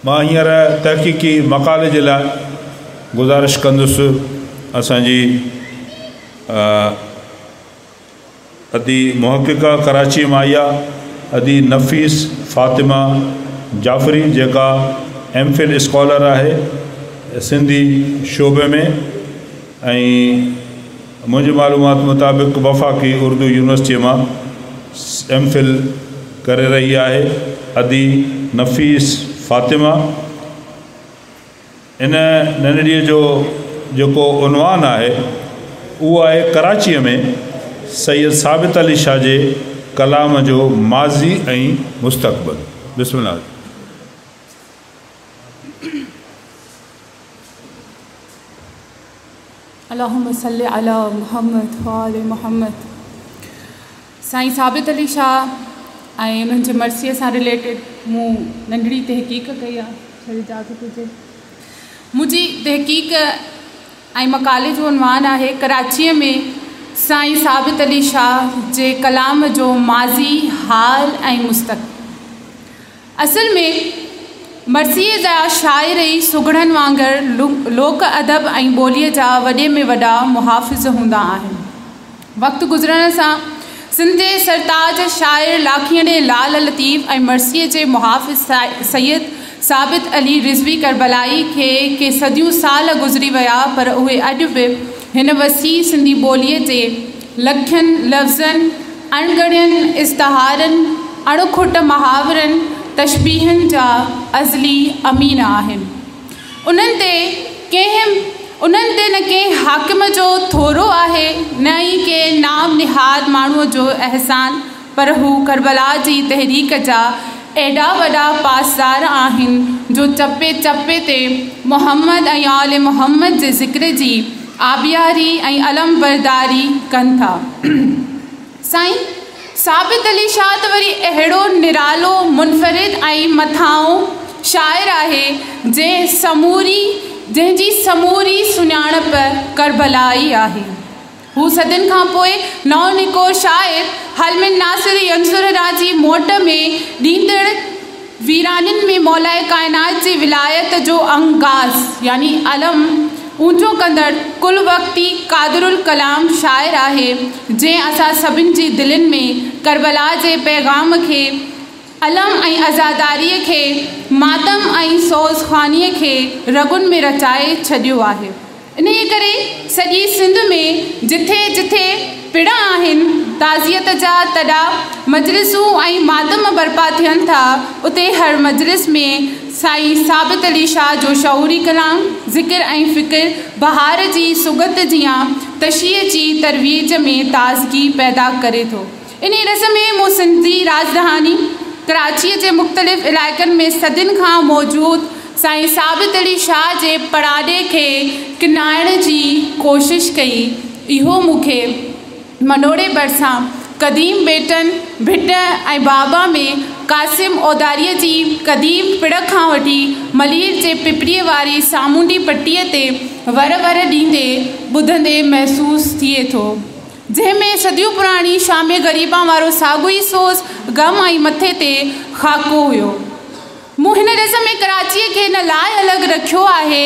مان هينئر تحقيقي مقالي جي لاء گذارش ڪندس اسان جي ادي محققه ڪراچيء مان آئي آ ادي نفيس فاطمه جعفري جيڪا ايم فل اسڪالر آهي سنڌي شعبي ۾ ۽ منهنجي معلومات مطابق وفاقي اردو يونيورسٽيء مان ايم فل ڪري رهي آهي ادي نفيس فاطمه. ان ننڍڙيء جو جيڪو عنوان آهي اهو آهي ڪراچيء ۾ سيد ثابت علي شاهه جي ڪلام جو ماضي ۽ مستقبل. بسم الله. اللهم صل علي محمد وآل محمد سائين ثابت علي شاهه ۽ انهن جي مرثيي سان رليٽيڊ مون ننڍڙي تحقيق ڪئي آهي شايد اجازت هجي منهنجي تحقيق ۽ مقالي جو عنوان آهي ڪراچيء ۾ سائين ثابت علي شاهه جي ڪلام جو ماضي حال ۽ مستقبل. اصل ۾ مرثيي جا شاعر ئي سگهڙن وانگر لوڪ ادب ۽ ٻوليء جا وڏي ۾ وڏا محافظ هوندا آهن. وقت گذرڻ سان سنڌ جي سرتاج شاعر لاکيڻي لال لطيف ۽ مرثيي جي محافظ سيد ثابت علي رضوي ڪربلائي کي ڪي صديون سال گذري ويا پر اهي اڄ به هن وسيع سنڌي ٻوليء جي لکين لفظن، اڻڳڻين استعارن، اڻ کٽ محاورن، تشبيهن جا ازلي امين آهن. انهن تي ڪنهن انهن تي نه ڪنهن حاڪم جو ٿورو آهي نه ئي ڪنهن نام نهاد ماڻهوء جو احسان پر هو ڪربلا جي تحريڪ جا ايڏا وڏا پاسدار آهن جو چپي چپي تي محمد ۽ آل محمد جي ذڪر جي آبياري ۽ علمبرداري ڪن ٿا. سائين ثابت علي شاهه ته وري اهڙو نرالو، منفرد ۽ مٿانهون شاعر آهي، جنهن سموري جنهن جي سموري سڃاڻپ ڪربلا ئي آهي. هو صدين کان پوء نئون نڪور شاعر هل من ناصر ينصرنا جي موٽ ۾ ڏيندڙ ويرانين ۾ مولائي ڪائنات جي ولايت جو انگاس يعني علم اونچو ڪندڙ ڪل وقتي قادرالڪلام شاعر آهي، جنهن اسان سڀن جي دلين ۾ ڪربلا جي پيغام کي، علم ۽ عزاداريء کي، ماتم ۽ سوز خوانيء کي رڳن ۾ رچائي ڇڏيو آهي. انهيء ڪري سڄي سنڌ ۾ جٿي جٿي پڙ آهن، تعزيت جا تڏا، مجلسون ۽ ماتم برپا ٿين ٿا، اتي هر مجلس ۾ سائين ثابت علي شاهه جو شعوري ڪلام، ذڪر ۽ فڪر بهار جي سوڳت جيان تشيع جي ترويج ۾ تازگي پيدا ڪري ٿو. انهيء ڏس ۾ مون سنڌ جي راڄڌاني ڪراچيء جي مختلف علائقن ۾ صدين کان موجود سائين ثابت علي شاهه جي پڙاڏي کي ڪنائڻ جي ڪوشش ڪئي. اهو مون کي منوڙي ڀرسان قديم ٻيٽن، ڀٽ ۽ بابا ۾ قاسم اوڌاريء جي قديم پڙ کان وٺي ملير جي پپريء واري سامونڊي پٽيء تي ور ور ڏيندي ٻڌندي محسوس ٿئي ٿو. جنهن ۾ صديون پراڻي شام غريبان وارو ساڳيو ئي سوز، غم ۽ مٿي تي خاڪو هيو. مون هن ڏس ۾ ڪراچيء کي ان لاء الڳ رکيو آهي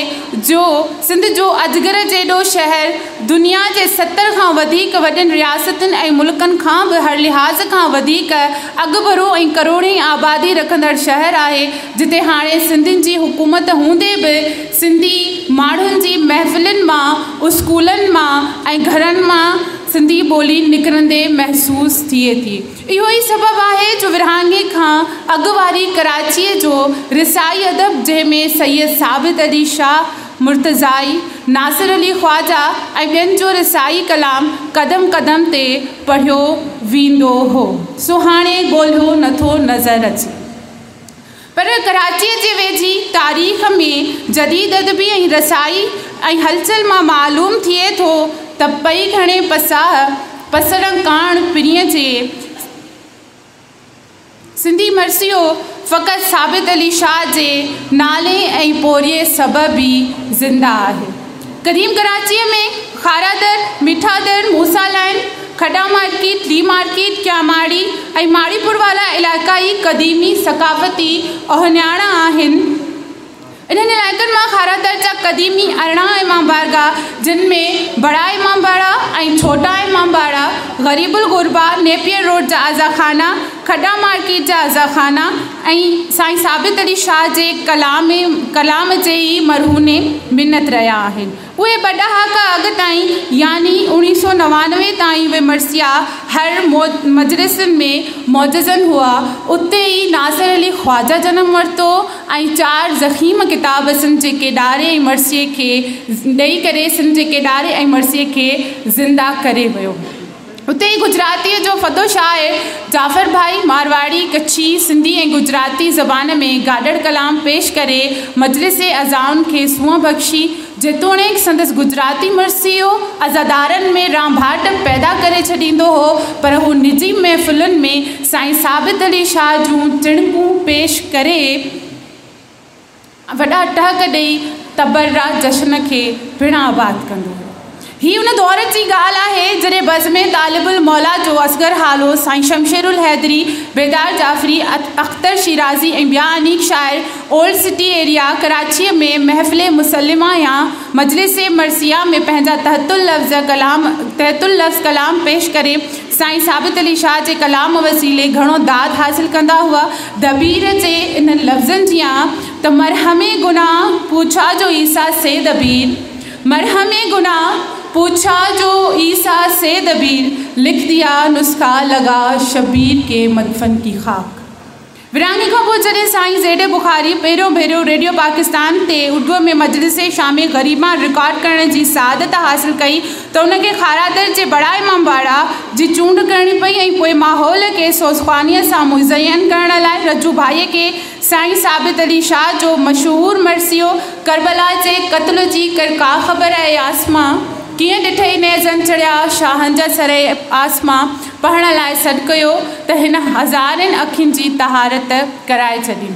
جو سنڌ جو اجگر جيڏو شهر دنيا جي 70 کان وڌيڪ وڏين رياستن ۽ ملڪن کان به هر لحاظ کان وڌيڪ اڳڀرو ۽ ڪروڙين آبادي رکندڙ شهر آهي جتي هاڻي سنڌين جي حڪومت هوندي به سنڌي ماڻهن جي محفلن مان، اسڪولن مان ۽ گهرن مان سنڌي ٻولي نڪرندي محسوس ٿئي ٿي. اهو ئي سبب آهي جو ورهاڱي کان اڳ واري ڪراچيء جو رثائي ادب جنهن ۾ سيد ثابت علي شاهه مرتضائي، ناصر علي خواجه ۽ ٻين جو رثائي ڪلام قدم قدم تي پڙهيو ويندو هو، سو هاڻي ڳولهيو نٿو نظر اچي. پر ڪراچيء جي ويجهي تاريخ ۾ جديد ادبي ۽ رثائي ۽ هلچل مان معلوم ٿئي ٿو ته پئي گهڻي پساهه پسڻ ڪاڻ پرينء جي سنڌي مرثيو فقط ثابت علي شاهه جي نالي ۽ پورهيي سبب ئي زنده آهي. قديم ڪراچيء ۾ کارا در، مٺا در، موسيٰ لائين، کڏا مارڪيٽ، لي مارڪيٽ، ڪياماڙي ۽ ماڙيپور وارا علائقا ئي قديمي ثقافتي اهڃاڻ آهن. قديمي 18 امام بارگاهه جن ۾ بڙا امام باڙا ۽ ڇوٽا امام باڙا، غريب الغربا، نيپيئر روڊ جا عزاخانا، کڏا مارڪيٽ جا عزاخانا ۽ سائين ثابت علي شاهه جي ڪلام ڪلام جي ئي مرهون منت رهيا آهن. اهي ٻه ڏهاڪا اڳ تائين يعني اوڻيهه سو 99 تائين اهي مرثيا هر مجلسن ۾ موزون هئا. اتي ئي ناصر علي خواجه جنم ورتو ۽ چار ضخيم ڪتاب سنڌ جي ڪيڏاري ۽ مرثيي کي ڏئي ڪري سنڌ جي ڪيڏاري ۽ مرثيي کي زنده ڪري ويو. اتي ئي گجراتيء جو ڦدو شاعر جعفر ڀائي مارواڙي، ڪڇي، سنڌي ۽ گجراتي زبان ۾ گاڏڙ ڪلام پيش ڪري مجلس عزائن کي سونهن بخشي. جيتوڻيڪ سندس گجراتي مرثيو عزادارن ۾ رانڀاٽ پيدا ڪري ڇڏيندو هو، پر هو نجي محفلن ۾ سائين ثابت علي شاهه جون چڻڪون پيش ڪري وڏا ٽهڪ ڏئي تبرا جشن کي پڻ آباد ڪندو هو. هي ان دور جي ڳالهه آهي جڏهن بزم طالب الموليٰ جو اصغر هالو، سائين شمشيرالحيدري، بيدار جعفري، اختر شيرازي ۽ ٻيا انيڪ شاعر اولڊ سٽي ايريا ڪراچيء ۾ محفل مسلمه يا مجلس مرثيه ۾ پنهنجا تحت اللفظ ڪلام تحت اللفظ ڪلام پيش ڪري سائين ثابت علي شاهه جي ڪلام وسيلي گهڻو داد حاصل ڪندا هئا. دبير جي انهن لفظن جيان ته مرهم گناهه پوڇا جو عيسيٰ سي دبير، مرهم گناهه پوڇا جو عيسيٰ سي دبير، لک ديا نسخه لگا شبير ڪي مدفن ڪي خاڪ. ورهاڱي کان پوء جڏهن سائين زيڊ اي بخاري پهريون ڀيرو ريڊيو پاڪستان تي اردوء ۾ مجلس شام غريبان رڪارڊ ڪرڻ جي سعادت حاصل ڪئي ته ان کي کارادر جي بڙا امام باڙا جي چونڊ ڪرڻي پئي ۽ پوء ماحول کي سوزخوانيء سان مزين ڪرڻ لاء رجو ڀائيء کي سائين ثابت علي شاهه جو مشهور مرثيو ڪربلا جي قتل جي ڪر ڪا خبر اي آسمان ڪيئن ڏٺئي نيزن چڙهيا شاهن جا سر اي آسمان پڙهڻ لاء سڏ ڪيو ته هن هزارين اکين جي طهارت ڪرائي ڇڏي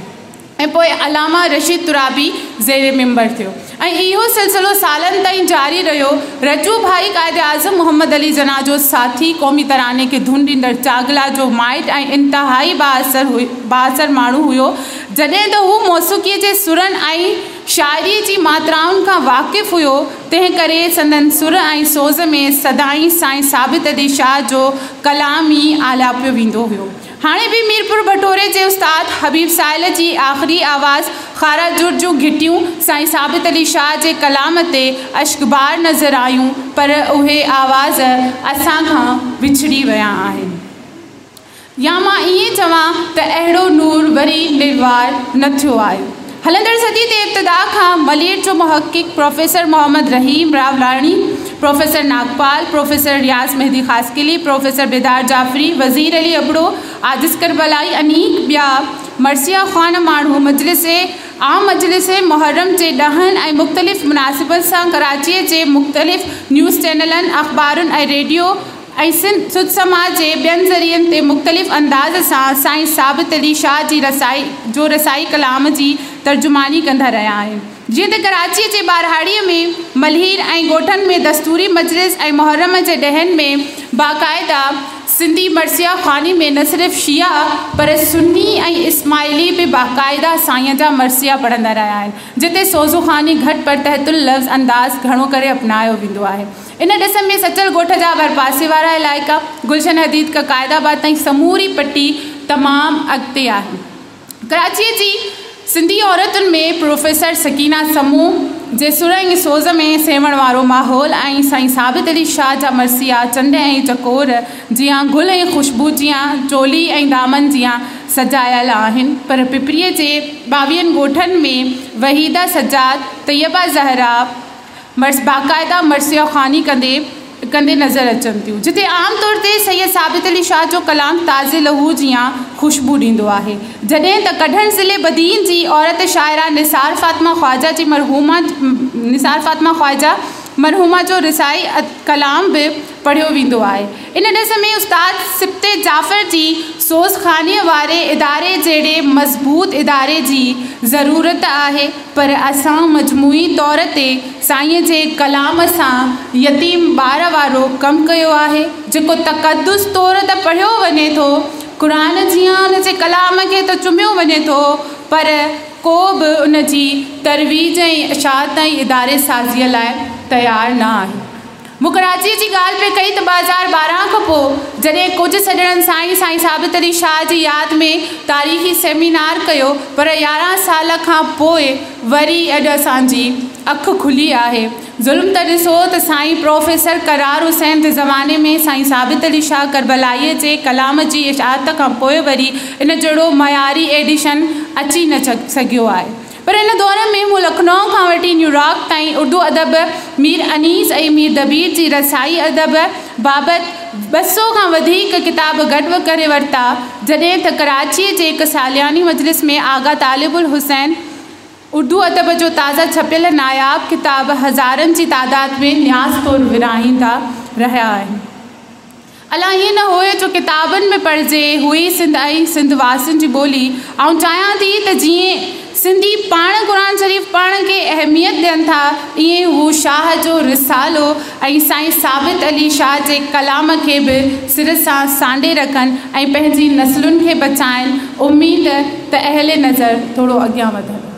۽ پوء علامه رشيد ترابي زير منبر ٿيو ۽ اهو سلسلو سالن تائين جاري رهيو. رجو ڀائي قائد اعظم محمد علي جناح جو ساٿي، قومي تراني کي ڌن ڏيندڙ چاڳلا جو مائٽ ۽ انتهائي بااثر ماڻهو هيو. جڏهن ته هو موسيقيء جي سرن ۽ شاعريء جي ماترائن کان واقف هيو، تنهن ڪري سندن سر ۽ سوز ۾ سدائين سائين ثابت علي شاهه جو ڪلام ئي آلاپيو ويندو هيو. هاڻي به ميرپور بٺوري جي استاد حبيب سائل جي آخري آواز کارا جر جون گهٽيون سائين ثابت علي شاهه جي ڪلام تي اشڪبار نظر آيون پر اهي آواز اسان کان وڇڙي ويا آهن يا مان ائين چوان ته اهڙو نور وري نروار نه ٿيو آهي. هلندڙ صدي جي ابتدا کان ملير جو محقق professor Muhammad Rahim Rawlani, professor Nagpal, professor Riaz Mehdi Khaskheli, professor Bedar Jafri, Wazir Ali Abro, Ajiz Karbalai انيڪ ٻيا مرثيه خوان ماڻهو مجلس عام مجلس محرم جي ڏهن ۽ مختلف مناسبت سان ڪراچيء جي مختلف نيوز چينلن، اخبارن ۽ ريڊيو ۽ سڌ سماء جي ٻين ذريعن تي مختلف انداز سان سائين ثابت علي شاهه جي رسائي جو رسائي ڪلام جي ترجماني ڪندا رهيا آهن. جيئن ته ڪراچيء جي ٻهراڙيء ۾ ملهير ۽ ڳوٺن ۾ دستوري مجلس ۽ محرم جي ڏهن ۾ باقاعده سنڌي مرثيه خواني ۾ نه صرف شيعا پر سني ۽ اسماعيلي به باقاعده سائينء جا مرثيا پڙهندا رهيا آهن، جتي سوزخواني گهٽ پر تحت اللفظ انداز گهڻو ڪري اپنايو ويندو آهي. ان ڏس ۾ سچل ڳوٺ جا ڀرپاسي وارا علائقا، گلشن حديد کان قائد آباد تائين سموري پٽي تمام اڳتي آهي. ڪراچيء جي سنڌي عورتن ۾ پروفيسر سڪينه سمون جي سر ۽ سوز ۾ سيوهڻ وارو ماحول ۽ سائين ثابت علي شاهه جا مرثيا چنڊ ۽ چڪور جيان گل ۽ خوشبو جيان چولي ۽ دامن جيان سجايل آهن پر پپريء جي ٻاويهن ڳوٺن ۾ وحيده سجاد، طيبه زهرا، مرث باقاعده مرثيه خواني ڪندي ڪندي نظر اچن ٿيون جتي عام طور تي سيد ثابت علي شاهه جو ڪلام تازي لهو جيان خوشبو ڏيندو آهي جڏهن ته ڪڍڻ ضلعي بدين جي عورت شاعره نثار فاطمه خواجه جي مرحومه نثار فاطمه خواجه مرحومه جو رثائي ڪلام به پڙهيو ويندو آهي ان ڏس ۾ استاد سبط جعفر جي سوز خوانيء واري اداري جهڙي مضبوط اداري جي ضرورت آهي پر اسان مجموعي طور تي سائينء جي ڪلام سان يتيم ٻار وارو ڪم ڪيو آهي، جيڪو تقدس طور ته پڙهيو وڃي ٿو، قرآن جيان ان جي ڪلام کي ته چميو وڃي ٿو، پر ڪو به ان جي ترويج ۽ اشاعت ۽ اداري سازيء لاء تيار نه آهي. مون ڪراچيء جي ڳالهه پئي ڪئي ته 2012 کان پوء جڏهن ڪجهه سڄڻن سائين سائين ثابت علي شاهه جي ياد ۾ تاريخي سيمينار ڪيو پر 11 سال کان پوء وري اڄ اسان جي اک کلي آهي. ظلم ته ڏسو ته سائين پروفيسر ڪرار حسين جي زماني ۾ سائين ثابت علي شاهه ڪربلائيء جي ڪلام جي اشاعت کان پوء وري ان جهڙو معياري ايڊيشن اچي نه سگهيو آهي. پر ان دور ۾ مون لکنؤ کان وٺي نيويارڪ تائين اردو ادب، مير انيس ۽ مير دبير جي رثائي ادب بابت 200 کان وڌيڪ ڪتاب گڏ ڪري ورتا، جڏهن ته ڪراچيء جي هڪ سالياني مجلس ۾ آغا طالب الحسين اردو ادب جو تازه ڇپيل ناياب ڪتاب هزارن جي تعداد ۾ نياز طور ورهائيندا رهيا آهن. الا ائين نه هئي جو ڪتابن ۾ پڙهجي هئي سنڌ ۽ سنڌ واسين جي ٻولي. آئون چاهيان ٿي ته جيئن سنڌي پاڻ قرآن شريف پڙهڻ کي اهميت ڏين ٿا ائين هو شاهه جو رسالو ۽ سائين ثابت علي شاهه جي ڪلام کي به سر سان سانڍي رکن ۽ پنهنجي نسلن کي بچائن. اميد ته اهل نظر ٿورو اڳيان وڌن.